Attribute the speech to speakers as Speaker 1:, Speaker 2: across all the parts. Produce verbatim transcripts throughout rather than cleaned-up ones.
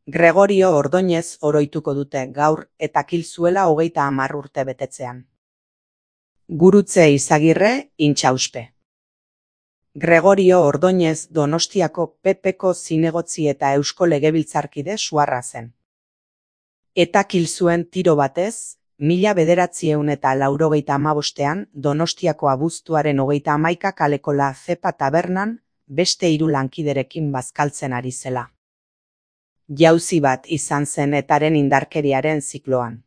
Speaker 1: Gregorio Ordóñez oroituko dute gaur eta kil zuela hogeita hamar urte betetzean. Gurutze Izagirre, Intxauspe. Gregorio Ordóñez Donostiako P Pko zinegotzi eta Eusko Legebiltzarkide suarra zen. Eta kil zuen tiro batez, mila bederatziehun eta laurogeita hamabostean Donostiako abuztuaren hogeita hamaika kaleko La Zepa tabernan beste hiru lankiderekin bazkaltzen ari zela. Jauzi bat izan zen etaren indarkeriaren zikloan.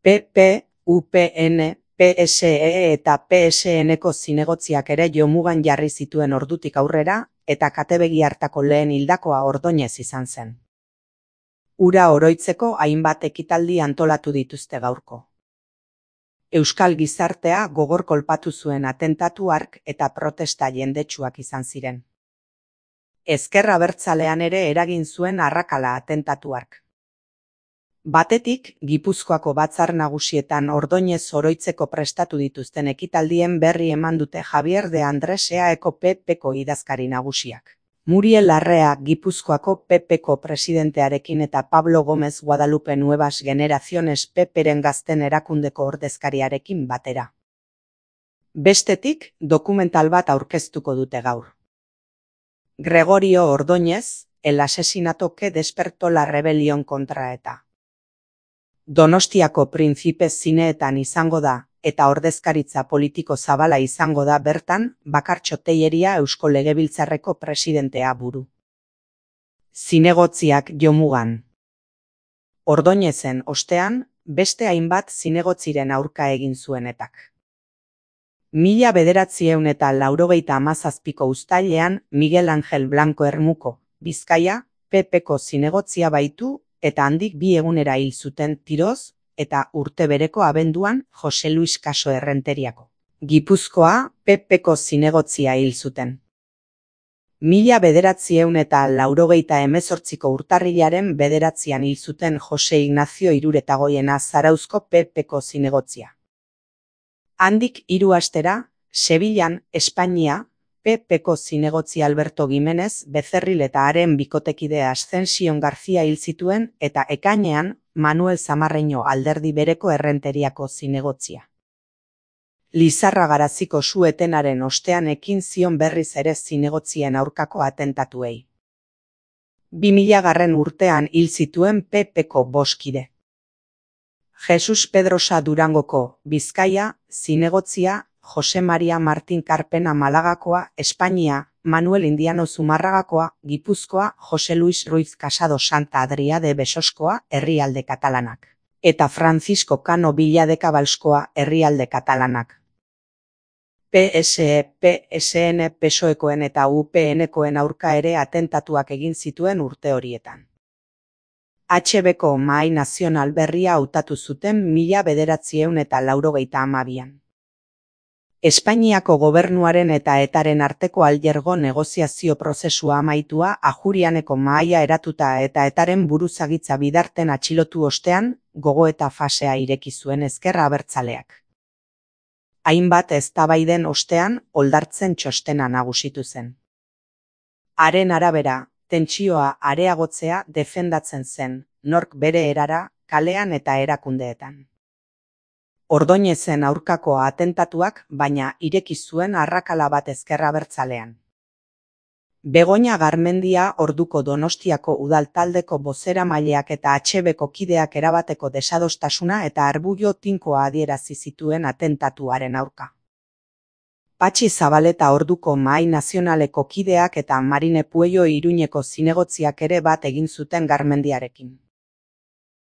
Speaker 1: P P, U P N, P S E eta P S N-ko zinegotziak ere jomugan jarri zituen ordutik aurrera, eta katebegi hartako lehen hildakoa Ordóñez izan zen. Ura oroitzeko hainbat ekitaldi antolatu dituzte gaurko. Euskal gizartea gogor kolpatu zuen atentatu hark eta protesta jendetsuak izan ziren. Ezker Abertzalean ere eragin zuen arrakala atentatu hark. Batetik, Gipuzkoako batzar nagusietan Ordóñez oroitzeko prestatu dituzten ekitaldien berri eman dute Javier de Andres eaeko P Pko idazkari nagusiak. Muriel Larrea Gipuzkoako P Pko presidentearekin eta Pablo Gómez Guadalupe Nuevas Generaciones P Pren gazten erakundeko ordezkariarekin batera. Bestetik, dokumental bat aurkeztuko dute gaur. Gregorio Ordóñez, el asesinato que despertó la rebelión contra ETA. Donostiako Printzipez zineetan izango da, eta ordezkaritza politiko zabala izango da bertan, Bakartxo Tejeria Eusko Legebiltzarreko presidentea buru. Zinegotziak jomugan. Ordóñezen ostean, beste hainbat zinegotziren aurka egin zuen etak. Mila bederatziehun eta laurogeita hamazazpiko uztailean Miguel Ángel Blanco Ermuko, Bizkaia, P Pko zinegotzia baitu, eta handik bi egunera hil zuten tiroz, eta urte bereko abenduan Jose Luis Caso Errenteriako. Gipuzkoa, P Pko zinegotzia hil zuten. Mila bederatziehun eta laurogeita hemezortziko urtarrilaren bederatzian hil zuten Jose Ignacio Iruretagoiena Zarauzko P Pko zinegotzia. Handik hiru astera, Sevillan, Espainia, P Pko zinegotzi Alberto Gimenez Becerril eta haren bikotekide Ascension García hil zituen eta ekainean Manuel Zamarreño alderdi bereko Errenteriako zinegotzia. Lizarra Garaziko su-etenaren ostean ekin zion berriz ere zinegotzien aurkako atentatuei. bi milagarren urtean hil zituen P Pko boskide. Jesus Pedrosa Durangoko, Bizkaia, zinegotzia, Jose Maria Martín Karpena Malagakoa, Espainia, Manuel Indiano Zumarragakoa, Gipuzkoa, Jose Luis Ruiz Casado Santa Adria de Besoskoa, herrialde katalanak. Eta Francisco Cano Villa de Cabalskoa, herrialde katalanak. P S E, P S N, PSOEkoen eta U P Nkoen aurka ere atentatuak egin zituen urte horietan. H Bko Mahai Nazional berria hautatu zuten mila bederatziehun eta laurogeita hamabian. Espainiako gobernuaren eta etaren arteko aljergo negoziazio prozesua amaitua Ajurianeko mahaia eratuta eta etaren buruzagitza bidarten atxilotu ostean, gogoeta fasea ireki zuen Ezker Abertzaleak. Hainbat eztabaiden ostean, oldartzen txostena nagusitu zen. Haren arabera, tentsioa areagotzea defendatzen zen, nork bere erara, kalean eta erakundeetan. Ordóñezen aurkako atentatuak, baina ireki zuen arrakala bat Ezker Abertzalean. Begoña Garmendia orduko Donostiako udaltaldeko bozeramaileak eta H Bko kideak erabateko desadostasuna eta arbullo tinkoa adierazi zituen atentatuaren aurka. Patxi Zabaleta orduko Mahai Nazionaleko kideak eta Marine Puello Iruñeko zinegotziak ere bat egin zuten Garmendiarekin.